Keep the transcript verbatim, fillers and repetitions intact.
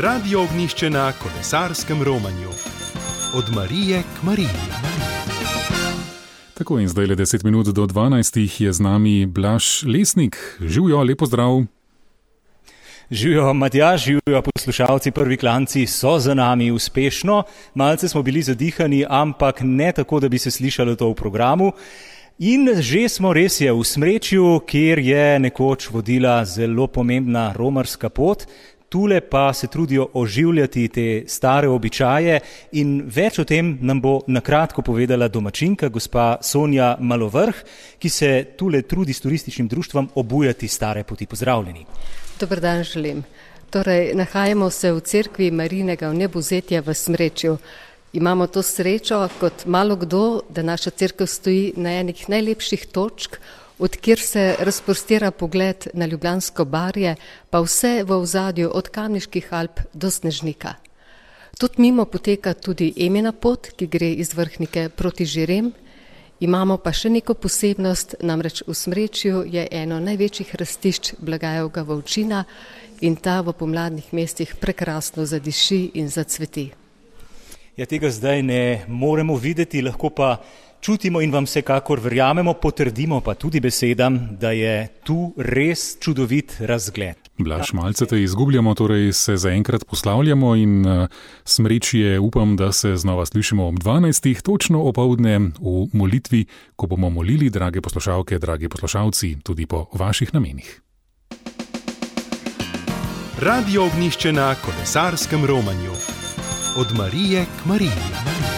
Radio Ognjišče na kolesarskem romanju. Od Marije k Mariji. Tako in zdaj le deset minut do dvanajstih je z nami Blaž Lesnik. Živjo, lepo zdrav. Živjo, Matjaž, živjo, poslušalci, prvi klanci so za nami uspešno. Malce smo bili zadihani, ampak ne tako, da bi se slišalo to v programu. In že smo res je v Smrečju, kjer je nekoč vodila zelo pomembna romarska pot. Tule pa se trudijo oživljati te stare običaje in več o tem nam bo nakratko povedala domačinka, gospa Sonja Malovrh, ki se tule trudi s turističnim društvom obujati stare poti. Pozdravljeni. Dober dan želim. Torej, nahajamo se v cerkvi Marijinega vnebovzetja v Smrečju. Imamo to srečo, kot malo kdo, da naša cerkev stoji na enih najlepših točk, od kjer se razprostira pogled na Ljubljansko barje, pa vse v ozadju od Kamniških Alp do Snežnika. Tudi mimo poteka tudi Emina pot, ki gre iz Vrhnike proti Žirem. Imamo pa še neko posebnost, namreč v Smrečju je eno največjih rastišč Blagajevega volčina in ta v pomladnih mestih prekrasno zadiši in zacveti. Ja, tega zdaj ne moremo videti, lahko pa čutimo in vam vsekakor verjamemo, potrdimo pa tudi besedam, da je tu res čudovit razgled. Blaž, malce te izgubljamo, torej se zaenkrat poslavljamo in uh, Smrečje upam, da se znova slišimo ob dvanajstih, točno opoldne v molitvi, ko bomo molili, drage poslušalke, dragi poslušalci, tudi po vaših namenih. Radio Ognjišče na kolesarskem romanju. Od Marije k Mariji.